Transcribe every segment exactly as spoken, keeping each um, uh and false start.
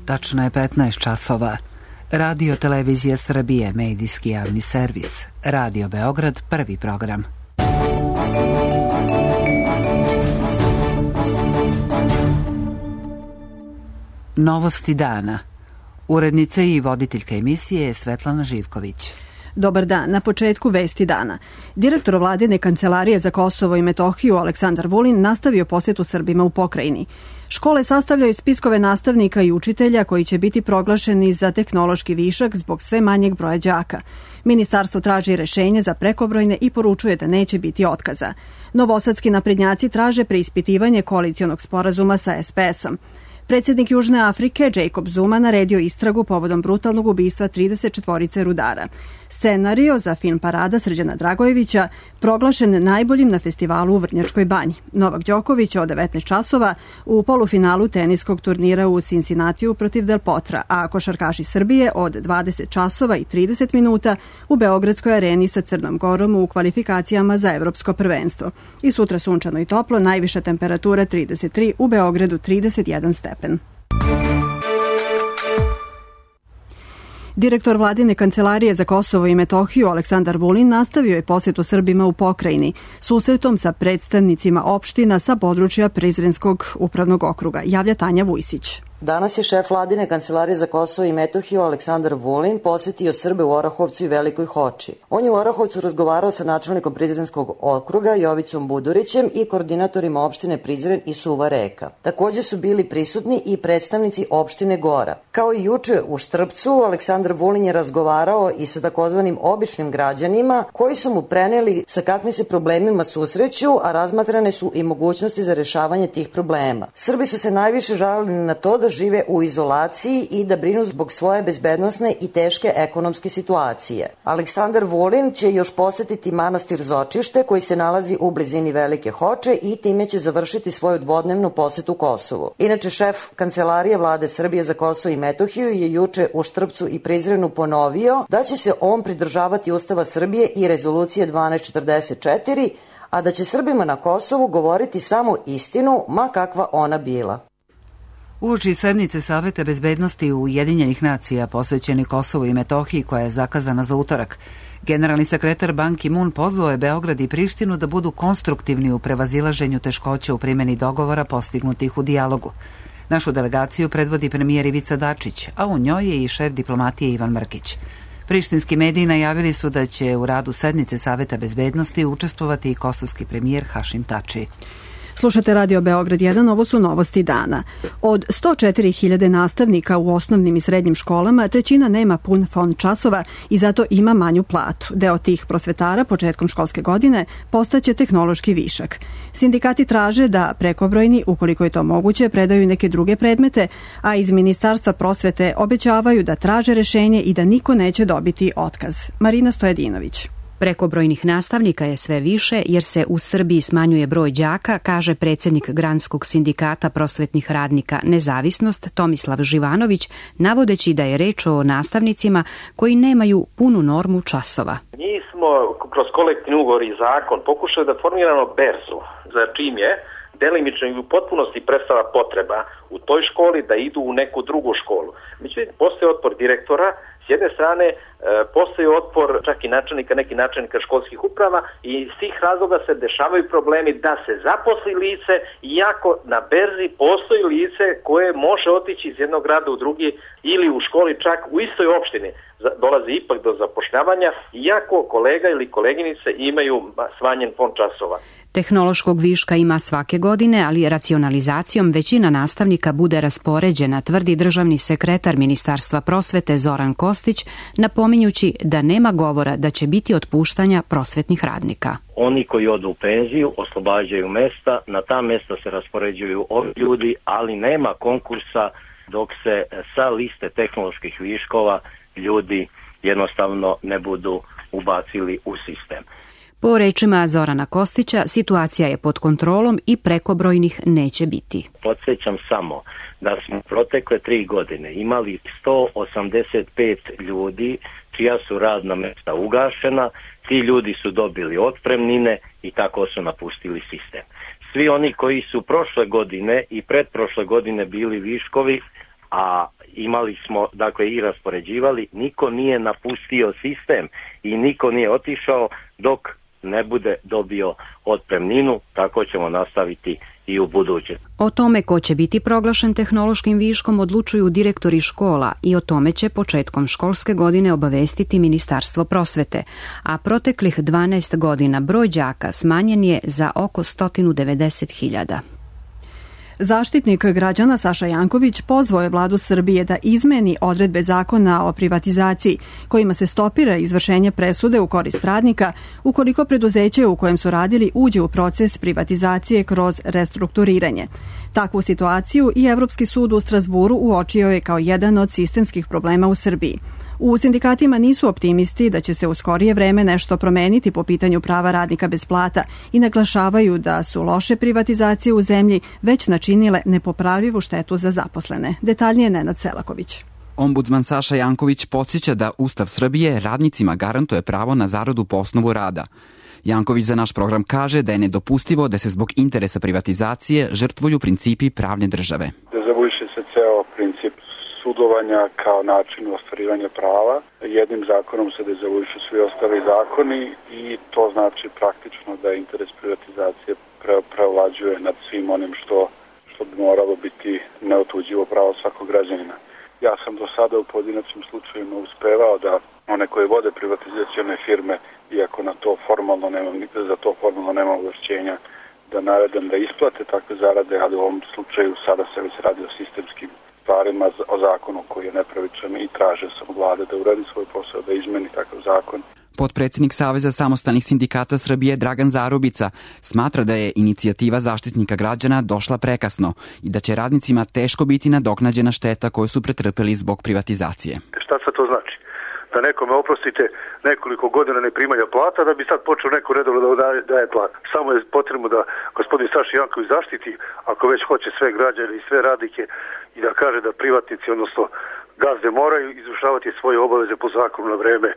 Tačno je petnaest časova. Radio Televizija Srbije, medijski javni servis. Radio Beograd, prvi program. Novosti dana. Urednica i voditeljka emisije je Svetlana Živković. Dobar dan. Na početku vesti dana. Direktor Vladine kancelarije za Kosovo i Metohiju Aleksandar Vulin nastavio posjetu Srbima u pokrajini. Škole sastavljaju spiskove nastavnika i učitelja koji će biti proglašeni za tehnološki višak zbog sve manjeg broja đaka. Ministarstvo traži rešenje za prekobrojne i poručuje da neće biti otkaza. Novosadski naprednjaci traže preispitivanje koalicionog sporazuma sa es pe esom. Predsjednik Južne Afrike Jacob Zuma naredio istragu povodom brutalnog ubistva trideset četvorice rudara. Scenario za film Parada Srđana Dragojevića proglašen najboljim na festivalu u Vrnjačkoj banji. Novak Đoković od devetnaest časova u polufinalu teniskog turnira u Cincinnatiju protiv Del Potra, a košarkaši Srbije od dvadeset časova i trideset minuta u Beogradskoj areni sa Crnom Gorom u kvalifikacijama za evropsko prvenstvo. I sutra sunčano i toplo, najviša temperatura trideset tri, u Beogradu trideset jedan stepen. Direktor Vladine kancelarije za Kosovo i Metohiju Aleksandar Vulin nastavio je posjetu Srbima u pokrajini susretom sa predstavnicima opština sa područja Prizrenskog upravnog okruga. Javlja Tanja Vujsić. Danas je šef Vladine kancelarije za Kosovo i Metohiju Aleksandar Vulin posjetio Srbe u Orahovcu i Velikoj Hoči. On je u Orahovcu razgovarao sa načelnikom Prizrenskog okruga Jovicom Budurićem i koordinatorima opštine Prizren i Suva Reka. Također su bili prisutni i predstavnici opštine Gora. Kao i juče u Štrpcu, Aleksandar Vulin je razgovarao i sa takozvanim običnim građanima koji su mu preneli sa kakvim se problemima susreću, a razmatrane su i mogućnosti za rešavanje tih problema. Srbi su se najviše žalili na to da žive u izolaciji i da brinu zbog svoje bezbednosne i teške ekonomske situacije. Aleksandar Vulin će još posjetiti manastir Zočište koji se nalazi u blizini Velike Hoče i time će završiti svoju dvodnevnu posetu Kosovu. Inače, šef Kancelarije Vlade Srbije za Kosovo i Metohiju je juče u Štrpcu i Prizrenu ponovio da će se on pridržavati Ustava Srbije i rezolucije dvanaest četrdeset četiri, a da će Srbima na Kosovu govoriti samo istinu, ma kakva ona bila. Uoči sednice Saveta bezbednosti Ujedinjenih nacija posvećeni Kosovu i Metohiji koja je zakazana za utorak, generalni sekretar Ban Ki-moon pozvao je Beograd i Prištinu da budu konstruktivni u prevazilaženju teškoća u primjeni dogovora postignutih u dijalogu. Našu delegaciju predvodi premijer Ivica Dačić, a u njoj je i šef diplomatije Ivan Mrkić. Prištinski mediji najavili su da će u radu sednice Saveta bezbednosti učestvovati i kosovski premijer Hašim Tači. Slušate Radio Beograd jedan, ovo su novosti dana. Od sto četiri hiljade nastavnika u osnovnim i srednjim školama, trećina nema pun fond časova i zato ima manju platu. Deo tih prosvetara početkom školske godine postaće tehnološki višak. Sindikati traže da prekobrojni, ukoliko je to moguće, predaju neke druge predmete, a iz Ministarstva prosvete obećavaju da traže rešenje i da niko neće dobiti otkaz. Marina Stojedinović. Prekobrojnih nastavnika je sve više jer se u Srbiji smanjuje broj đaka, kaže predsjednik Granskog sindikata prosvetnih radnika Nezavisnost Tomislav Živanović, navodeći da je reč o nastavnicima koji nemaju punu normu časova. Mi smo kroz kolektivni ugovor i zakon pokušali da formiramo berzu, za čim je delimično i u potpunosti prestala potreba u toj školi da idu u neku drugu školu. Međutim, postoji otpor direktora. S jedne strane, postoji otpor čak i načelnika, neki načelnika školskih uprava i iz tih razloga se dešavaju problemi da se zaposli lice, iako na berzi postoji lice koje može otići iz jednog grada u drugi ili u školi čak u istoj opštini. Dolazi ipak do zapošljavanja, iako kolega ili koleginice imaju smanjen fond časova. Tehnološkog viška ima svake godine, ali racionalizacijom većina nastavnika bude raspoređena, tvrdi državni sekretar Ministarstva prosvete Zoran Kostić, napominjući da nema govora da će biti otpuštanja prosvetnih radnika. Oni koji odu u penziju oslobađaju mesta, na ta mesta se raspoređuju ovi ljudi, ali nema konkursa dok se sa liste tehnoloških viškova ljudi jednostavno ne budu ubacili u sistem. Po rečima Zorana Kostića, situacija je pod kontrolom i prekobrojnih neće biti. Podsjećam samo da smo protekle tri godine imali sto osamdeset pet ljudi čija su radna mesta ugašena, ti ljudi su dobili otpremnine i tako su napustili sistem. Svi oni koji su prošle godine i pretprošle godine bili viškovi, a imali smo dakle i raspoređivali, niko nije napustio sistem i niko nije otišao dok ne bude dobio otpremninu, tako ćemo nastaviti i u buduće. O tome ko će biti proglašen tehnološkim viškom odlučuju direktori škola i o tome će početkom školske godine obavestiti Ministarstvo prosvete, a proteklih dvanaest godina broj đaka smanjen je za oko sto devedeset hiljada. Zaštitnik građana Saša Janković pozvao je vladu Srbije da izmeni odredbe zakona o privatizaciji kojima se stopira izvršenje presude u korist radnika ukoliko preduzeće u kojem su radili uđe u proces privatizacije kroz restrukturiranje. Takvu situaciju i Evropski sud u Strazburu uočio je kao jedan od sistemskih problema u Srbiji. U sindikatima nisu optimisti da će se u skorije vreme nešto promeniti po pitanju prava radnika bez plata i naglašavaju da su loše privatizacije u zemlji već načinile nepopravljivu štetu za zaposlene. Detaljnije Nenad Selaković. Ombudsman Saša Janković podsjeća da Ustav Srbije radnicima garantuje pravo na zaradu po osnovu rada. Janković za naš program kaže da je nedopustivo da se zbog interesa privatizacije žrtvuju principi pravne države. Dezavuiše se ceo princip sudovanja kao način ostvarivanja prava. Jednim zakonom se dezavuišu svi ostali zakoni i to znači praktično da interes privatizacije pre, preovlađuje nad svim onim što, što bi moralo biti neotuđivo pravo svakog građanina. Ja sam do sada u pojedinačnim slučajevima uspevao da one koje vode privatizacione firme, iako na to formalno nemam, za to formalno nema ovlašćenja, da naredam da isplate takve zarade, ali u ovom slučaju sada se već radi o sistemskim stvarima, o zakonu koji je nepravičan i traže sam od vlade da uradi svoj posao, da izmeni takav zakon. Potpredsednik Saveza samostalnih sindikata Srbije Dragan Zarubica smatra da je inicijativa Zaštitnika građana došla prekasno i da će radnicima teško biti nadoknađena šteta koju su pretrpeli zbog privatizacije. Šta sad to znači? Da nekome oprostite nekoliko godina neprimanja plata, da bi sad počeo neko redovno da daje, daje plat. Samo je potrebno da gospodin Saša Janković zaštiti, ako već hoće sve građane i sve radnike, i da kaže da privatnici, odnosno gazde, moraju izvršavati svoje obaveze po zakonu na vreme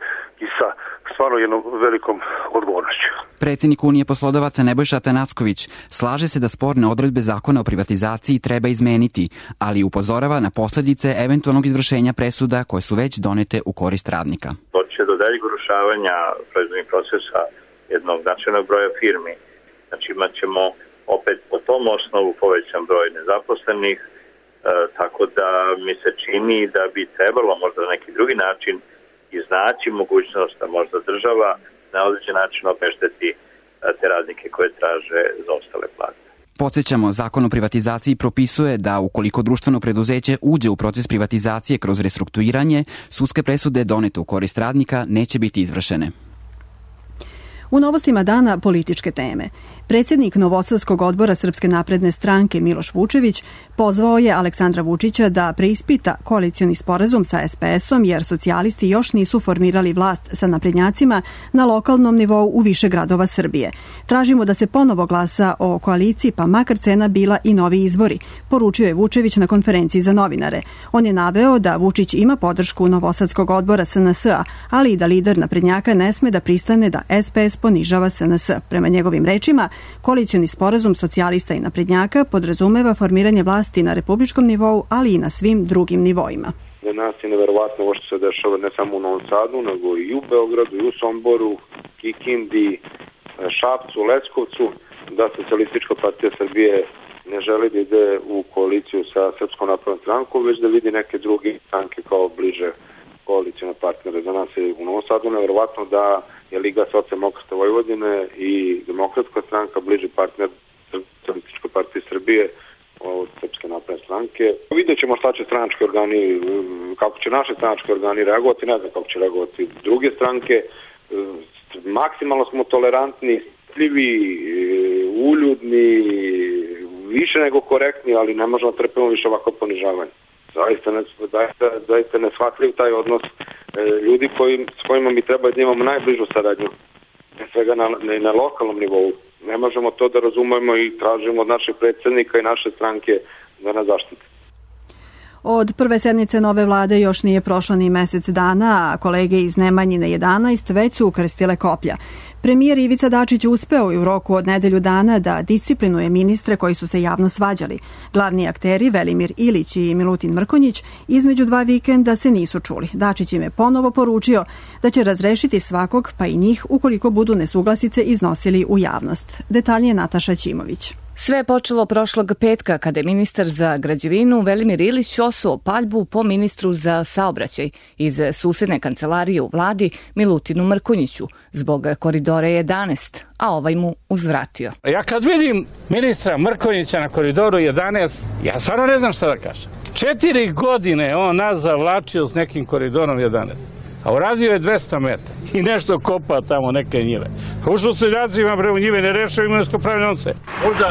i sa stvarno jednom velikom odgovornošću. Predsjednik Unije poslodavaca Nebojša Atanacković slaže se da sporne odredbe zakona o privatizaciji treba izmeniti, ali upozorava na posljedice eventualnog izvršenja presuda koje su već donete u korist radnika. Doće do daljeg urušavanja proizvodnih procesa jednog značajnog broja firmi. Znači imat ćemo opet po tom osnovu povećan broj nezaposlenih, e, tako da mi se čini da bi trebalo možda na neki drugi način iznaći mogućnost da možda država na određen način obešteti te radnike koje traže za ostale plate. Podsjećamo, zakon o privatizaciji propisuje da ukoliko društveno preduzeće uđe u proces privatizacije kroz restrukturiranje, sudske presude donete u korist radnika neće biti izvršene. U novostima dana političke teme. Predsjednik Novosadskog odbora Srpske napredne stranke Miloš Vučević pozvao je Aleksandra Vučića da preispita koalicioni sporazum sa es pe esom jer socijalisti još nisu formirali vlast sa naprednjacima na lokalnom nivou u više gradova Srbije. Tražimo da se ponovo glasa o koaliciji pa makar cena bila i novi izbori, poručio je Vučević na konferenciji za novinare. On je naveo da Vučić ima podršku Novosadskog odbora es en es a, ali i da lider naprednjaka ne sme da pristane da es pe es ponižava es en es a. Prema njegovim rečima, koalicioni sporazum socijalista i naprednjaka podrazumeva formiranje vlasti na republičkom nivou, ali i na svim drugim nivoima. Za nas je neverovatno ovo što se dešava ne samo u Novom Sadu, nego i u Beogradu, i u Somboru, Kikindi, Šapcu, Leskovcu, da Socijalistička partija Srbije ne želi da ide u koaliciju sa Srpskom naprednom strankom, već da vidi neke druge stranke kao bliže koalicijne partnere. Za nas je u Novom Sadu neverovatno da je Liga socijaldemokrata Vojvodine i Demokratska stranka bliži partner Socijalističke partije Srbije od Srpske napredne stranke. Vidjet ćemo šta će stranački organi, kako će naše stranački organi reagovati, ne znam kako će reagovati druge stranke. Maksimalno smo tolerantni, strpljivi, uljudni, više nego korektni, ali ne možemo trpimo više ovako ponižavanje. Zaista, ne, zaista, zaista neshvatljiv taj odnos e, ljudi koji, s kojima mi treba da imamo najbližu saradnju, ne svega na, ne, na lokalnom nivou. Ne možemo to da razumemo i tražimo od našeg predsjednika i naše stranke da nas zaštite. Od prve sednice nove vlade još nije prošlo ni mesec dana, a kolege iz Nemanjine jedanaest već su ukrstile koplja. Premijer Ivica Dačić uspeo i u roku od nedelju dana da disciplinuje ministre koji su se javno svađali. Glavni akteri Velimir Ilić i Milutin Mrkonjić između dva vikenda se nisu čuli. Dačić im je ponovo poručio da će razrešiti svakog, pa i njih, ukoliko budu nesuglasice iznosili u javnost. Detaljnije Nataša Ćimović. Sve je počelo prošlog petka kada je ministar za građevinu Velimir Ilić osuo paljbu po ministru za saobraćaj iz susedne kancelarije u vladi Milutinu Mrkonjiću zbog koridora jedanaest, a ovaj mu uzvratio. Ja kad vidim ministra Mrkonjića na koridoru jedanaest, ja stvarno ne znam šta da kažem. Četiri godine on nas zavlačio s nekim koridorom jedanaest. A uradio je dvesta metara i nešto kopa tamo neke njive. Ušao se ljacima bre u njive, ne rešao imovinsko-pravne odnose. Možda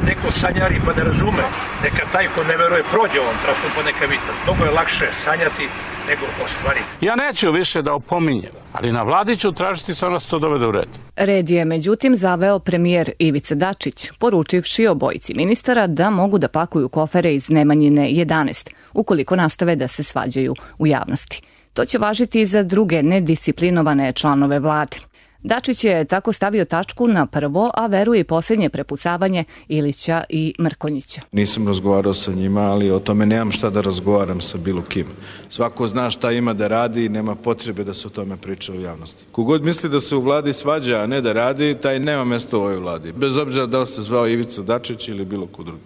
neko sanjari pa ne razume, neka taj ko ne veruje prođe ovom trasom pa neka vidi. Mnogo je lakše sanjati nego ostvariti. Ja neću više da opominjem, ali na vladi ću tražiti samo da se to dovede u red. Red je međutim zaveo premijer Ivica Dačić, poručivši obojici ministara da mogu da pakuju kofere iz Nemanjine jedanaest, ukoliko nastave da se svađaju u javnosti. To će važiti i za druge nedisciplinovane članove vlade. Dačić je tako stavio tačku na prvo, a veruje i posljednje prepucavanje Ilića i Mrkonjića. Nisam razgovarao sa njima, ali o tome nemam šta da razgovaram sa bilo kim. Svako zna šta ima da radi i nema potrebe da se o tome priča u javnosti. Kogod misli da se u vladi svađa, a ne da radi, taj nema mjesto u ovoj vladi. Bez obzira da li se zvao Ivica Dačić ili bilo ko drugi.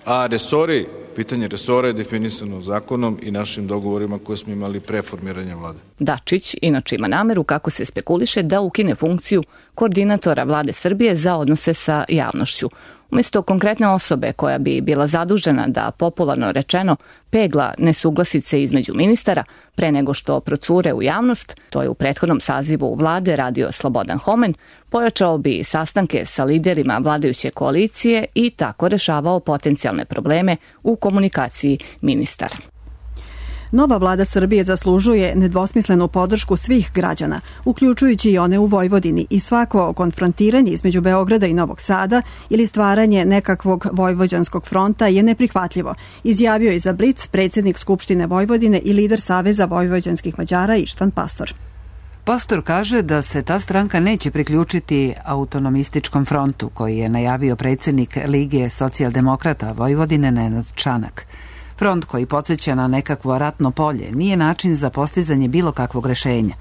A resori, pitanje resora je definisano zakonom i našim dogovorima koje smo imali pre formiranja vlade. Dačić inače ima nameru, kako se spekuliše, da ukine funkciju koordinatora vlade Srbije za odnose sa javnošću. Umjesto konkretne osobe koja bi bila zadužena da, popularno rečeno, pegla nesuglasice između ministara pre nego što procure u javnost, to je u prethodnom sazivu vlade radio Slobodan Homen, pojačao bi sastanke sa liderima vladajuće koalicije i tako rešavao potencijalne probleme u komunikaciji ministara. Nova vlada Srbije zaslužuje nedvosmislenu podršku svih građana, uključujući i one u Vojvodini, i svako konfrontiranje između Beograda i Novog Sada ili stvaranje nekakvog vojvođanskog fronta je neprihvatljivo, izjavio je za Blic predsjednik Skupštine Vojvodine i lider Saveza vojvođanskih Mađara Ištan Pastor. Pastor kaže da se ta stranka neće priključiti autonomističkom frontu koji je najavio predsjednik Lige socijaldemokrata Vojvodine Nenad Čanak. Front koji podsjeća na nekakvo ratno polje nije način za postizanje bilo kakvog rešenja.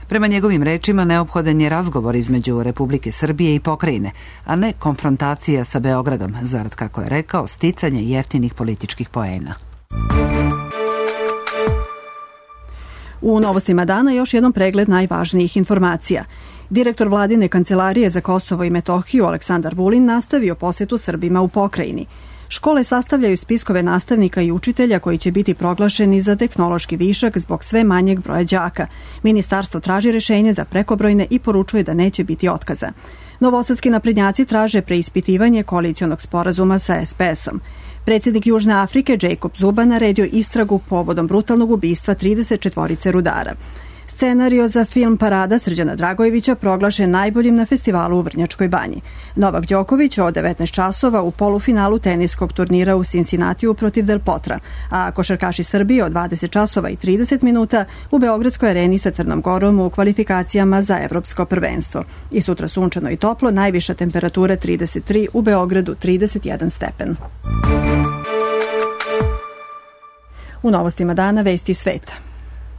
Prema njegovim rečima neophodan je razgovor između Republike Srbije i pokrajine, a ne konfrontacija sa Beogradom, zarad, kako je rekao, sticanje jeftinih političkih poena. U novostima dana još jednom pregled najvažnijih informacija. Direktor vladine kancelarije za Kosovo i Metohiju Aleksandar Vulin nastavio posetu Srbima u pokrajini. Škole sastavljaju spiskove nastavnika i učitelja koji će biti proglašeni za tehnološki višak zbog sve manjeg broja đaka. Ministarstvo traži rešenje za prekobrojne i poručuje da neće biti otkaza. Novosadski naprednjaci traže preispitivanje koalicionog sporazuma sa es pe esom. Predsjednik Južne Afrike Jacob Zuma naredio istragu povodom brutalnog ubistva trideset četvorice rudara. Scenario za film Parada Srđana Dragojevića proglašen najboljim na festivalu u Vrnjačkoj banji. Novak Đoković od devetnaest časova u polufinalu teniskog turnira u Cincinnatiju protiv Del Potra, a košarkaši Srbije od dvadeset časova i trideset minuta u Beogradskoj areni sa Crnom Gorom u kvalifikacijama za evropsko prvenstvo. I sutra sunčano i toplo, najviša temperatura trideset tri, u Beogradu trideset jedan stepen. U novostima dana vesti sveta.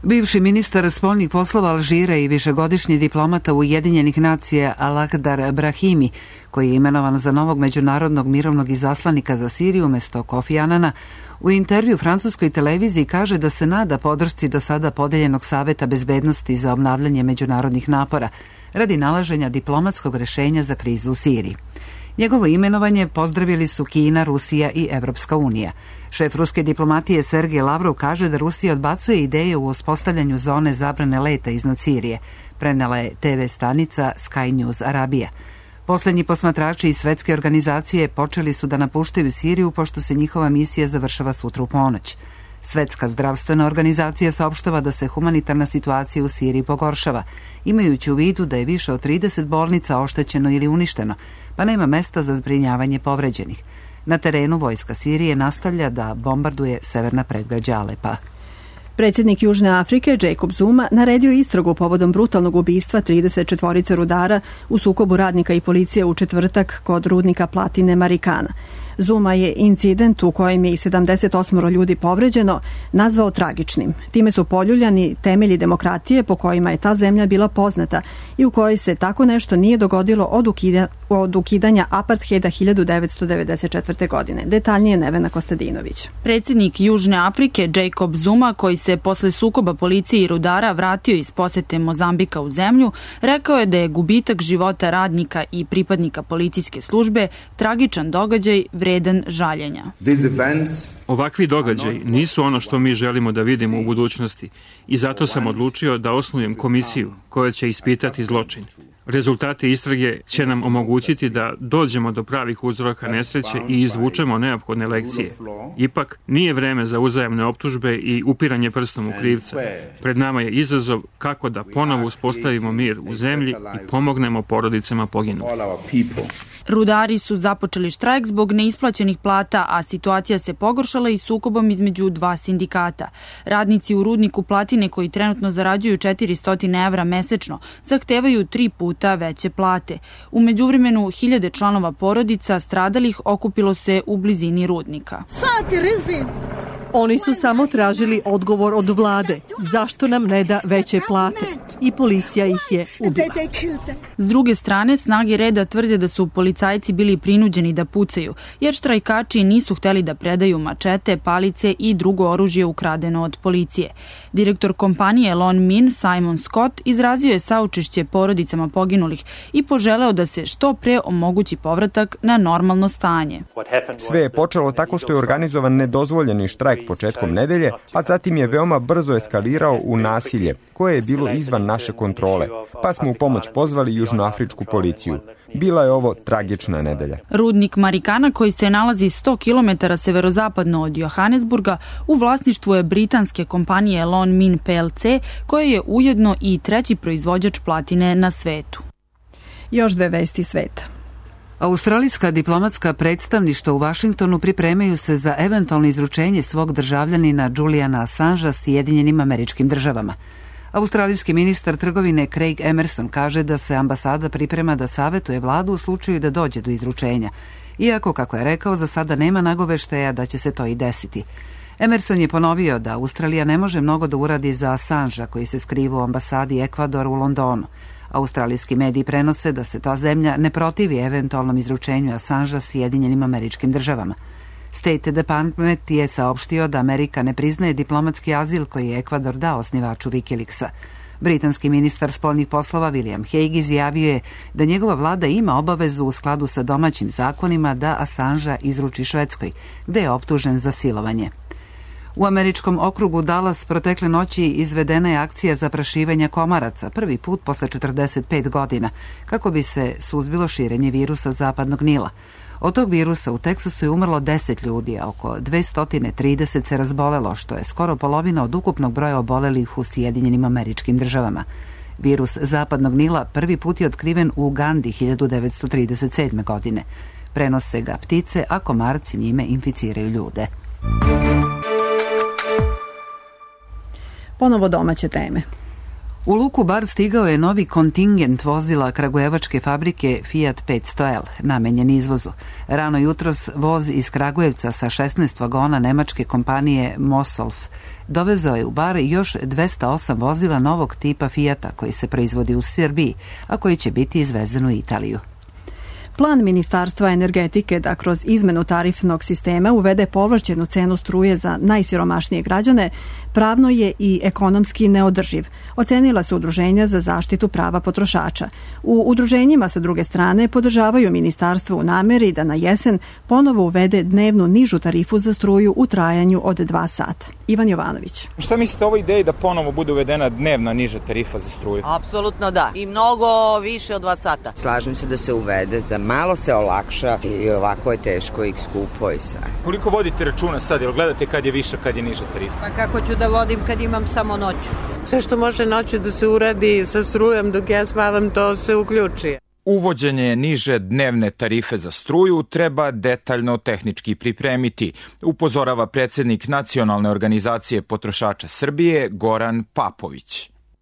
Bivši ministar spoljnih poslova Alžira i višegodišnji diplomata Ujedinjenih nacija Al-Akhdar Brahimi, koji je imenovan za novog međunarodnog mirovnog izaslanika za Siriju umjesto Kofi Anana, u intervju francuskoj televiziji kaže da se nada podršci do sada podeljenog Saveta bezbednosti za obnavljanje međunarodnih napora radi nalaženja diplomatskog rešenja za krizu u Siriji. Njegovo imenovanje pozdravili su Kina, Rusija i Evropska unija. Šef ruske diplomatije Sergej Lavrov kaže da Rusija odbacuje ideje u uspostavljanju zone zabrane leta iznad Sirije, prenela je te ve stanica Sky News Arabija. Poslednji posmatrači iz svetske organizacije počeli su da napuštaju Siriju pošto se njihova misija završava sutra u ponoć. Svetska zdravstvena organizacija saopštava da se humanitarna situacija u Siriji pogoršava, imajući u vidu da je više od trideset bolnica oštećeno ili uništeno, pa nema mesta za zbrinjavanje povređenih. Na terenu vojska Sirije nastavlja da bombarduje severna predgrađa Alepa. Predsjednik Južne Afrike, Jacob Zuma, naredio istragu povodom brutalnog ubistva trideset četvorice rudara u sukobu radnika i policije u četvrtak kod rudnika platine Marikana. Zuma je incident u kojem je i sedamdeset osam ljudi povređeno nazvao tragičnim. Time su poljuljani temelji demokratije po kojima je ta zemlja bila poznata i u kojoj se tako nešto nije dogodilo od, ukida, od ukidanja apartheida hiljadu devetsto devedeset četvrte. godine. Detaljnije Nevena Kostadinović. Predsjednik Južne Afrike Jacob Zuma, koji se posle sukoba policije i rudara vratio iz posete Mozambika u zemlju, rekao je da je gubitak života radnika i pripadnika policijske službe tragičan događaj vredan žaljenja. Ovakvi događaji nisu ono što mi želimo da vidimo u budućnosti i zato sam odlučio da osnujem komisiju koja će ispitati zločin. Rezultati istrage će nam omogućiti da dođemo do pravih uzroka nesreće i izvučemo neophodne lekcije. Ipak, nije vreme za uzajamne optužbe i upiranje prstom u krivca. Pred nama je izazov kako da ponovo uspostavimo mir u zemlji i pomognemo porodicama poginulih. Rudari su započeli štrajk zbog neisplaćenih plata, a situacija se pogoršala i sukobom između dva sindikata. Radnici u rudniku platine, koji trenutno zarađuju četiristo evra mesečno, zahtevaju tri puta veće plate. U međuvremenu, hiljade članova porodica stradalih okupilo se u blizini rudnika. Oni su samo tražili odgovor od vlade. Zašto nam ne da veće plate? I policija ih je ubila. S druge strane, snage reda tvrde da su policajci bili prinuđeni da pucaju, jer štrajkači nisu hteli da predaju mačete, palice i drugo oružje ukradeno od policije. Direktor kompanije Lon Min, Simon Scott, izrazio je saučešće porodicama poginulih i poželeo da se što pre omogući povratak na normalno stanje. Sve je počelo tako što je organizovan nedozvoljeni štrajk početkom nedelje, a zatim je veoma brzo eskalirao u nasilje, koje je bilo izvan naše kontrole, pa smo u pomoć pozvali južnoafričku policiju. Bila je ovo tragična nedelja. Rudnik Marikana, koji se nalazi sto kilometara severozapadno od Johannesburga, u vlasništvu je britanske kompanije Lon Min P L C, koja je ujedno i treći proizvođač platine na svetu. Još dve vesti sveta. Australijska diplomatska predstavništva u Vašingtonu pripremaju se za eventualno izručenje svog državljanina Juliana Assangea Sjedinjenim Američkim Državama. Australijski ministar trgovine Craig Emerson kaže da se ambasada priprema da savetuje vladu u slučaju da dođe do izručenja, iako, kako je rekao, za sada nema nagoveštaja da će se to i desiti. Emerson je ponovio da Australija ne može mnogo da uradi za Assangea, koji se skriva u ambasadi Ekvadora u Londonu. Australijski mediji prenose da se ta zemlja ne protivi eventualnom izručenju Assangea Sjedinjenim Američkim Državama. State Department je saopštio da Amerika ne priznaje diplomatski azil koji je Ekvador dao osnivaču Wikileaksa. Britanski ministar spoljnih poslova William Hague izjavio je da njegova vlada ima obavezu u skladu sa domaćim zakonima da Assangea izruči Švedskoj, gde je optužen za silovanje. U američkom okrugu Dallas protekle noći izvedena je akcija zaprašivanja komaraca, prvi put posle četrdeset pet godina, kako bi se suzbilo širenje virusa zapadnog Nila. Od tog virusa u Teksasu je umrlo deset ljudi, a oko dvesta trideset se razbolelo, što je skoro polovina od ukupnog broja obolelih u Sjedinjenim Američkim Državama. Virus zapadnog Nila prvi put je otkriven u Ugandi hiljadu devetsto trideset sedme. godine. Prenose ga ptice, a komarci njime inficiraju ljude. Ponovo domaće teme. U luku Bar stigao je novi kontingent vozila kragujevačke fabrike Fiat petsto L, namenjen izvozu. Rano jutros voz iz Kragujevca sa šesnaest vagona nemačke kompanije Mosolf dovezao je u Bar još dvesta osam vozila novog tipa Fiata koji se proizvodi u Srbiji, a koji će biti izvezen u Italiju. Plan Ministarstva energetike da kroz izmenu tarifnog sistema uvede povlašćenu cenu struje za najsiromašnije građane pravno je i ekonomski neodrživ, ocenila su udruženja za zaštitu prava potrošača. U udruženjima sa druge strane podržavaju ministarstvo u nameri da na jesen ponovo uvede dnevnu nižu tarifu za struju u trajanju od dva sata. Ivan Jovanović. Šta mislite o ovoj ideji da ponovo bude uvedena dnevna niža tarifa za struju? Apsolutno da. I mnogo više od dva sata. Slažem se da se uvede, da malo se olakša i ovako je teško i skupo i sve. Koliko vodite računa sad? Jel gledate kad je viša, kad je niža tarifa? Pa kako ću da vodim kad imam samo noću? Sve što može noću da se uradi sa strujom dok ja spavam, to se uključi. Uvođenje niže dnevne tarife za struju treba detaljno tehnički pripremiti, upozorava predsjednik Nacionalne organizacije potrošača Srbije Goran Papović.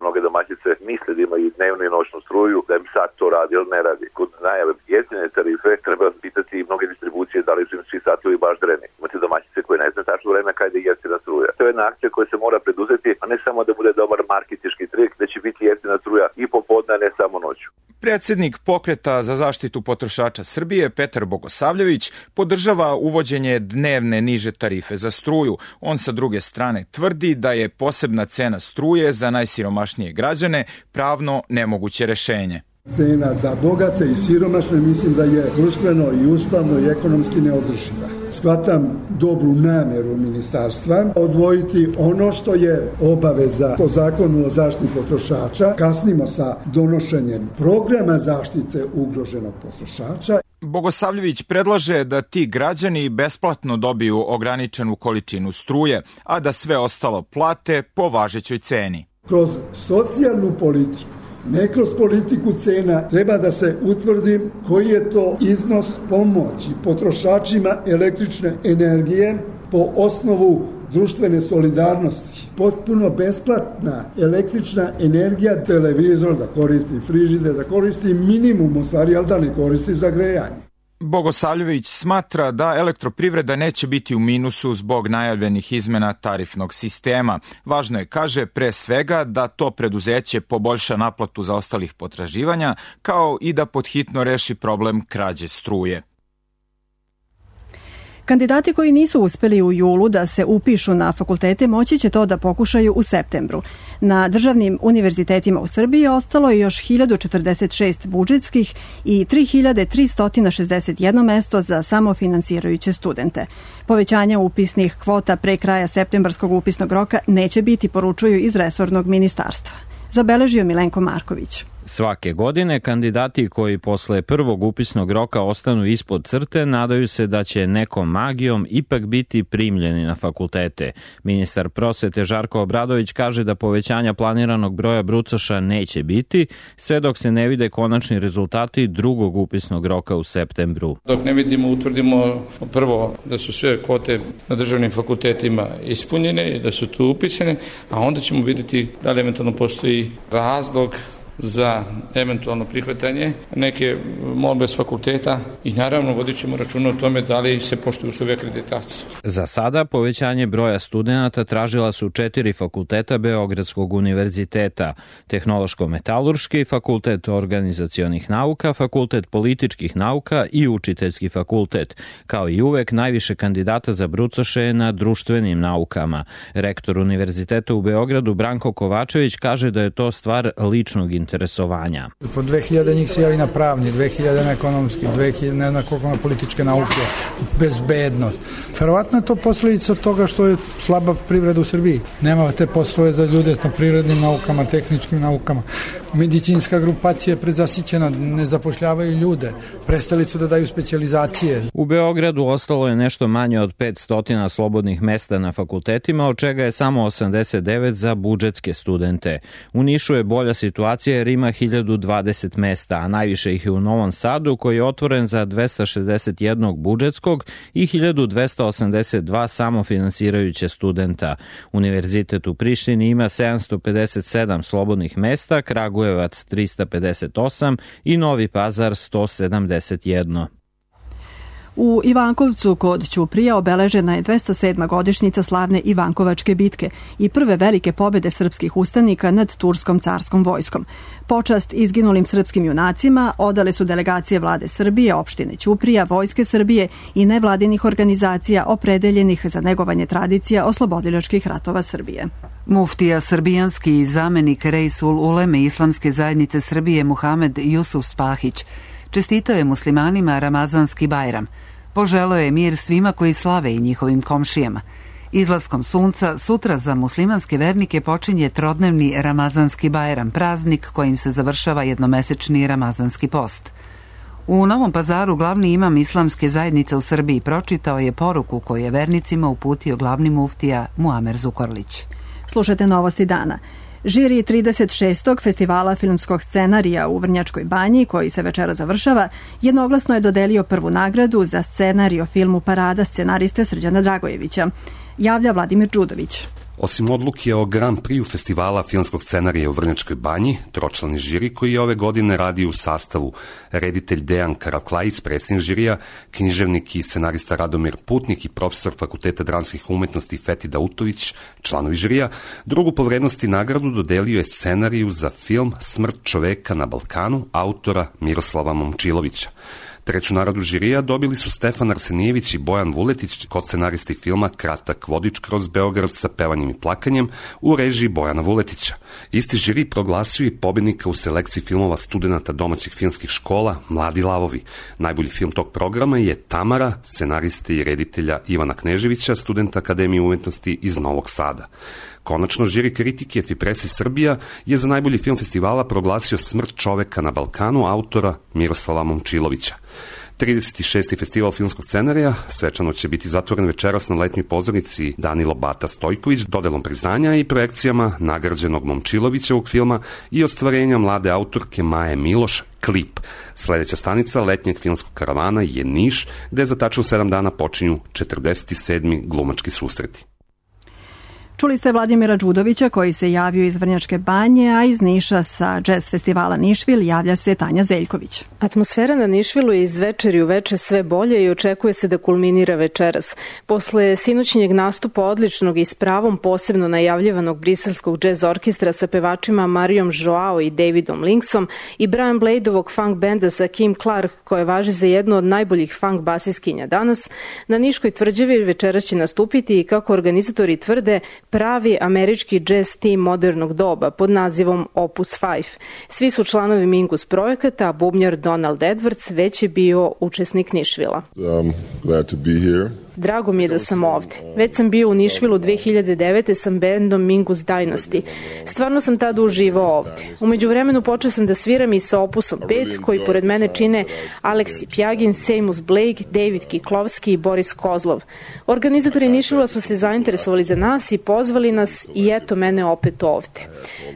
Mnoge domaćice misle da imaju dnevnu i noćnu struju, da im sad to radi ili ne radi. Kod najave jeftine tarife treba pitati mnoge distribucije da li su im svi satovi baš dreni. Imate domaćice koje ne znaju tačno vreme kada je jeftina struja. To je jedna akcija koja se mora preduzeti, a ne samo da bude dobar marketinški trik, da će biti jeftina struja i popodne, a ne samo noću. Predsjednik Pokreta za zaštitu potrošača Srbije Petar Bogosavljević podržava uvođenje dnevne niže tarife za struju. On sa druge strane tvrdi da je posebna cena struje za najsiromašnije građane pravno nemoguće rešenje. Cena za bogate i siromašne mislim da je društveno i ustavno i ekonomski neodrživa. Shvatam dobru namjeru ministarstva odvojiti ono što je obaveza po zakonu o zaštiti potrošača. Kasnimo sa donošenjem programa zaštite ugroženog potrošača. Bogosavljević predlaže da ti građani besplatno dobiju ograničenu količinu struje, a da sve ostalo plate po važećoj ceni. Kroz socijalnu politiku, ne kroz politiku cena, treba da se utvrdi koji je to iznos pomoći potrošačima električne energije po osnovu društvene solidarnosti. Potpuno besplatna električna energija, televizor da koristi, frižider da koristi, minimum u stvari, ali da ne koristi za grejanje. Bogosavljević smatra da elektroprivreda neće biti u minusu zbog najavljenih izmena tarifnog sistema. Važno je, kaže, pre svega da to preduzeće poboljša naplatu zaostalih potraživanja, kao i da podhitno reši problem krađe struje. Kandidati koji nisu uspeli u julu da se upišu na fakultete moći će to da pokušaju u septembru. Na državnim univerzitetima u Srbiji ostalo je još hiljadu četrdeset šest budžetskih i tri hiljade tristo šezdeset jedno mesto za samofinansirajuće studente. Povećanja upisnih kvota pre kraja septembarskog upisnog roka neće biti, poručuju iz resornog ministarstva. Zabeležio Milenko Marković. Svake godine kandidati koji posle prvog upisnog roka ostanu ispod crte nadaju se da će nekom magijom ipak biti primljeni na fakultete. Ministar prosvete Žarko Obradović kaže da povećanja planiranog broja brucoša neće biti, sve dok se ne vide konačni rezultati drugog upisnog roka u septembru. Dok ne vidimo, utvrdimo prvo da su sve kvote na državnim fakultetima ispunjene i da su tu upisane, a onda ćemo vidjeti da li eventualno postoji razlog za eventualno prihvatanje neke molbe s fakulteta i naravno vodit ćemo računa o tome da li se poštuju uslovi akreditacije. Za sada povećanje broja studenata tražila su četiri fakulteta Beogradskog univerziteta: Tehnološko-metalurški, Fakultet organizacionih nauka, Fakultet političkih nauka i Učiteljski fakultet. Kao i uvek, najviše kandidata za brucoše je na društvenim naukama. Rektor univerziteta u Beogradu Branko Kovačević kaže da je to stvar ličnog interesovanja. Po dve hiljade njih se javi na pravni, dve hiljade na ekonomski, dve hiljade ne na koliko na političke nauke, bezbednost. Verovatno je to posljedica toga što je slaba privreda u Srbiji. Nema te poslove za ljude na prirodnim naukama, tehničkim naukama. Medicinska grupacija je predzasićena, ne zapošljavaju ljude, prestali su da daju specijalizacije. U Beogradu ostalo je nešto manje od petsto slobodnih mesta na fakultetima, od čega je samo osamdeset devet za budžetske studente. U Nišu je bolja situacija jer ima hiljadu dvadeset mesta, a najviše ih je u Novom Sadu, koji je otvoren za dvesta šezdeset jedan budžetskog i hiljadu dvesta osamdeset dva samofinansirajuće studenta. Univerzitet u Prištini ima sedamsto pedeset sedam slobodnih mesta, Kragujevac trista pedeset osam i Novi Pazar sto sedamdeset jedan. U Ivankovcu kod Ćuprija obeležena je dvesta sedma godišnjica slavne Ivankovačke bitke i prve velike pobjede srpskih ustanika nad turskom carskom vojskom. Počast izginulim srpskim junacima odale su delegacije vlade Srbije, opštine Ćuprija, Vojske Srbije i nevladinih organizacija opredeljenih za negovanje tradicija oslobodilačkih ratova Srbije. Muftija srbijanski i zamenik Reisul Uleme Islamske zajednice Srbije Muhamed Jusuf Spahić čestitao je muslimanima Ramazanski Bajram. Poželeo je mir svima koji slave i njihovim komšijama. Izlaskom sunca sutra za muslimanske vernike počinje trodnevni Ramazanski Bajram, praznik kojim se završava jednomesečni Ramazanski post. U Novom Pazaru glavni imam Islamske zajednice u Srbiji pročitao je poruku koju je vernicima uputio glavni muftija Muamer Zukorlić. Slušajte novosti dana. Žiri trideset šestog festivala filmskog scenarija u Vrnjačkoj Banji, koji se večera završava, jednoglasno je dodelio prvu nagradu za scenarij o filmu Parada scenariste Srđana Dragojevića. Javlja Vladimir Đudović. Osim odluke o Grand Prix festivala filmskog scenarija u Vrnjačkoj Banji, tročlani žiri koji je ove godine radi u sastavu reditelj Dejan Karaklajić, predsjednik žirija, književnik i scenarista Radomir Putnik i profesor Fakulteta dramskih umetnosti Feti Dautović, članovi žirija, drugu po vrednosti nagradu dodelio je scenariju za film Smrt čoveka na Balkanu autora Miroslava Momčilovića. Treću nagradu žirija dobili su Stefan Arsenijević i Bojan Vuletić, koscenaristi filma Kratak vodič kroz Beograd sa pevanjem i plakanjem u režiji Bojana Vuletića. Isti žiri proglasio i pobjednika u selekciji filmova studenata domaćih filmskih škola Mladi lavovi. Najbolji film tog programa je Tamara, scenariste i reditelja Ivana Kneževića, studenta Akademije umetnosti iz Novog Sada. Konačno, žiri kritike Fipresi Srbija je za najbolji film festivala proglasio Smrt čoveka na Balkanu autora Miroslava Momčilovića. trideset šesti festival filmskog scenarija svečano će biti zatvoren večeras na letnjoj pozornici Danilo Bata Stojković dodelom priznanja i projekcijama nagrađenog Momčilovićevog filma i ostvarenja mlade autorke Maje Miloš Klip. Sledeća stanica letnjeg filmskog karavana je Niš, gde za tačno sedam dana počinju četrdeset sedmi glumački susreti. Čuli ste Vladimira Đudovića koji se javio iz Vrnjačke Banje, a iz Niša sa jazz festivala Nišvil javlja se Tanja Zeljković. Atmosfera na Nišvilu je iz večeri u veče sve bolje i očekuje se da kulminira večeras. Posle sinoćnjeg nastupa odličnog i s pravom posebno najavljivanog briselskog jazz orkestra sa pevačima Marijom Joao i Davidom Linksom i Brian Bladeovog funk benda sa Kim Clark, koje važi za jednu od najboljih funk basiskinja danas, na Niškoj tvrđavi večeras će nastupiti i, kako organizatori tvrde, pravi američki jazz tim modernog doba pod nazivom Opus pet. Svi su članovi Mingus projekata, a bubnjar Donald Edwards već je bio učesnik Nišvila. I'm glad to be here. Drago mi je da sam ovde. Već sam bio u Nišvilu dve hiljade devete sa bendom Mingus Dynasty. Stvarno sam tada uživao ovde. Umeđu vremenu počeo sam da sviram i sa Opusom pet, koji pored mene čine Aleksi Pjagin, Seamus Blake, David Kiklovski i Boris Kozlov. Organizatori Nišvila su se zainteresovali za nas i pozvali nas i eto mene opet ovde.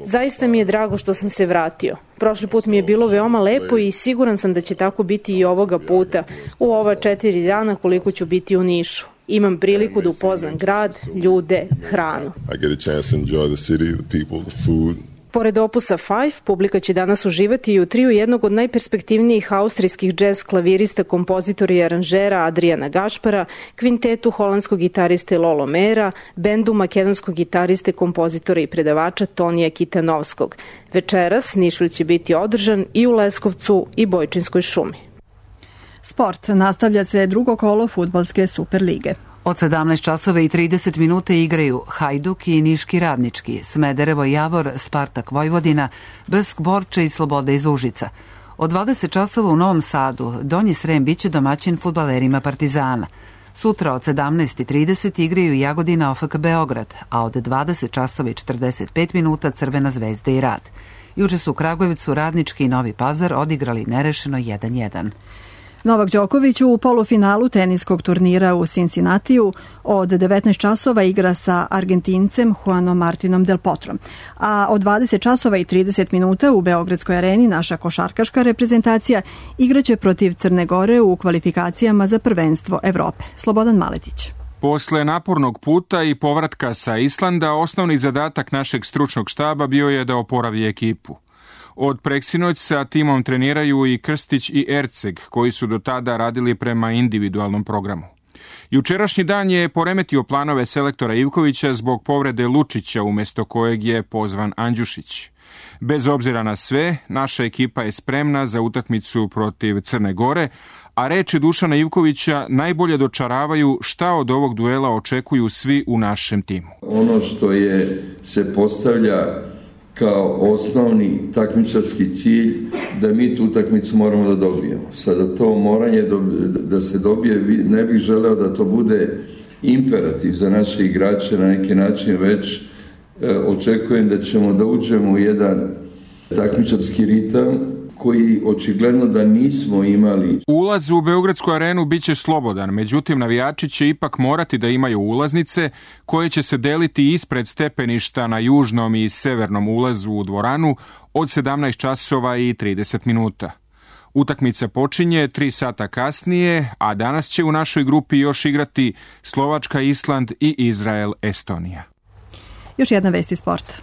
Zaista mi je drago što sam se vratio. Prošli put mi je bilo veoma lepo i siguran sam da će tako biti i ovoga puta, u ova četiri dana koliko ću biti u Nišu. Imam priliku da upoznam grad, ljude, hranu. I get a chance to enjoy the city, the people, the food. Pored Opusa pet, publika će danas uživati i u triju jednog od najperspektivnijih austrijskih džez klavirista, kompozitora i aranžera Adriana Gašpara, kvintetu holandskog gitariste Lolo Mera, bendu makedonskog gitariste, kompozitora i predavača Tonija Kitanovskog. Večeras Nišvil će biti održan i u Leskovcu i Bojčinskoj šumi. Sport. Nastavlja se drugo kolo fudbalske Superlige. Od sedamnaest časova i trideset minuta igraju Hajduk i Niški Radnički, Smederevo Javor, Spartak Vojvodina, Besk Borče i Sloboda iz Užica. Od dvadeset časova u Novom Sadu Donji Srem biće domaćin fudbalerima Partizana. Sutra od sedamnaest i trideset igraju Jagodina O F K Beograd, a od dvadeset časova i četrdeset pet minuta Crvena zvezda i Rad. Juče su u Kragujevcu Radnički i Novi Pazar odigrali nerešeno jedan jedan. Novak Đoković u polufinalu teniskog turnira u Cincinnatiju od devetnaest časova igra sa Argentincem Juanom Martinom Del Potrom, a od dvadeset časova i trideset minuta u Beogradskoj areni naša košarkaška reprezentacija igraće protiv Crne Gore u kvalifikacijama za prvenstvo Evrope. Slobodan Maletić. Posle napornog puta i povratka sa Islanda, osnovni zadatak našeg stručnog štaba bio je da oporavi ekipu. Od preksinoć sa timom treniraju i Krstić i Erceg, koji su do tada radili prema individualnom programu. Jučerašnji dan je poremetio planove selektora Ivkovića zbog povrede Lučića, umesto kojeg je pozvan Andjušić. Bez obzira na sve, naša ekipa je spremna za utakmicu protiv Crne Gore, a reči Dušana Ivkovića najbolje dočaravaju šta od ovog duela očekuju svi u našem timu. Ono što je se postavlja kao osnovni takmičarski cilj, da mi tu utakmicu moramo da dobijemo. Sada to moranje da se dobije, ne bih želeo da to bude imperativ za naše igrače na neki način, već očekujem da ćemo da uđemo u jedan takmičarski ritam koji očigledno da nismo imali. Ulaz u Beogradsku arenu biće slobodan, međutim navijači će ipak morati da imaju ulaznice koje će se deliti ispred stepeništa na južnom i severnom ulazu u dvoranu od sedamnaest časova i trideset minuta. Utakmica počinje tri sata kasnije, a danas će u našoj grupi još igrati Slovačka, Island i Izrael, Estonija. Još jedna vest iz sporta.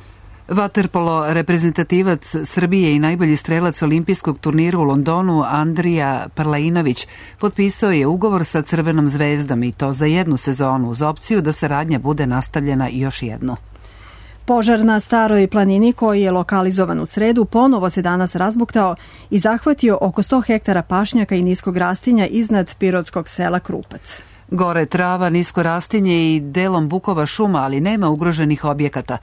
Vaterpolo reprezentativac Srbije i najbolji strelac olimpijskog turnira u Londonu Andrija Parlainović potpisao je ugovor sa Crvenom zvezdom i to za jednu sezonu uz opciju da saradnja bude nastavljena još jednu. Požar na Staroj planini koji je lokalizovan u sredu ponovo se danas razbuktao i zahvatio oko sto hektara pašnjaka i niskog rastinja iznad pirotskog sela Krupac. Gore trava, nisko rastinje i delom bukova šuma, ali nema ugroženih objekata.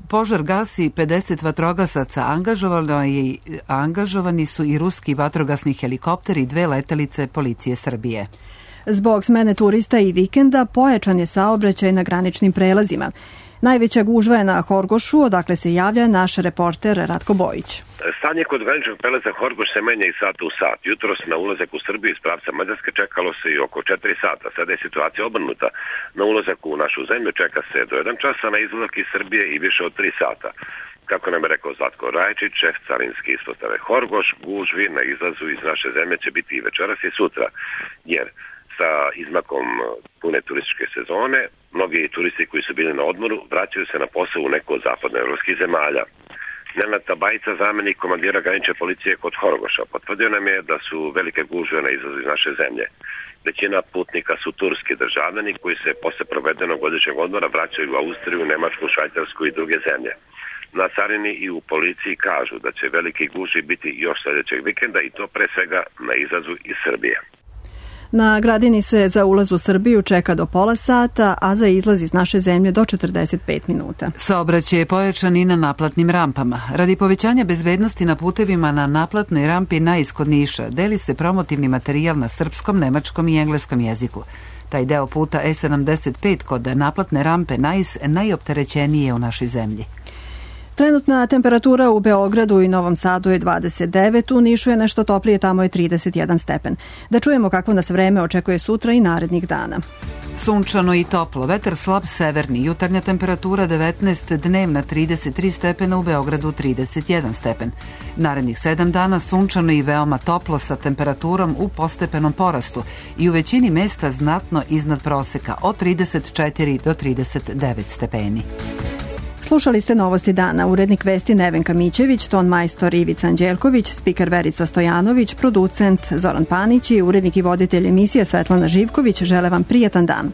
Požar gasi pedeset vatrogasaca, angažovano je, angažovani su i ruski vatrogasni helikopteri i dve letelice policije Srbije. Zbog smene turista i vikenda pojačan je saobraćaj na graničnim prelazima. Najveća gužva je na Horgošu, odakle se javlja naš reporter Ratko Bojić. Stanje kod graničnog prelaza Horgoš se menja iz sata u sat. Jutros na ulazak u Srbiju iz pravca Mađarske čekalo se i oko četiri sata. Sada je situacija obrnuta. Na ulazak u našu zemlju čeka se do jedan časa, na izlazak iz Srbije i više od tri sata. Kako nam je rekao Zlatko Rajčić, šef carinske ispostave Horgoš, gužvi na izlazu iz naše zemlje će biti i večeras i sutra, jer sa izmakom pune turističke sezone, mnogi turisti koji su bili na odmoru vraćaju se na posao u neko od zapadnoevropskih zemalja. Nenad Tabajica, zamenik komandira granične policije kod Horgoša, potvrdio nam je da su velike gužve na izlazu iz naše zemlje. Većina putnika su turski državljani koji se posle provedenog godišnjeg odmora vraćaju u Austriju, Nemačku, Švajcarsku i druge zemlje. Na carini i u policiji kažu da će veliki gužvi biti još sljedećeg vikenda i to pre svega na izlazu iz Srbije. Na Gradini se za ulaz u Srbiju čeka do pola sata, a za izlaz iz naše zemlje do četrdeset pet minuta. Saobraćaj je pojačan i na naplatnim rampama. Radi povećanja bezbednosti na putevima na naplatnoj rampi Nais kod Niša deli se promotivni materijal na srpskom, nemačkom i engleskom jeziku. Taj deo puta E sedamdeset pet kod naplatne rampe Nais najopterećeniji je u našoj zemlji. Trenutna temperatura u Beogradu i Novom Sadu je dvadeset devet, u Nišu je nešto toplije, tamo je trideset jedan stepen. Da čujemo kako nas vreme očekuje sutra i narednih dana. Sunčano i toplo, vetar slab severni, jutarnja temperatura devetnaest, dnevna trideset tri stepena, u Beogradu trideset jedan stepen. Narednih sedam dana sunčano i veoma toplo sa temperaturom u postepenom porastu i u većini mesta znatno iznad proseka od trideset četiri do trideset devet stepeni. Slušali ste Novosti dana, urednik vesti Nevenka Mićević, ton majstor Ivica Anđelković, spiker Verica Stojanović, producent Zoran Panić i urednik i voditelj emisije Svetlana Živković žele vam prijatan dan.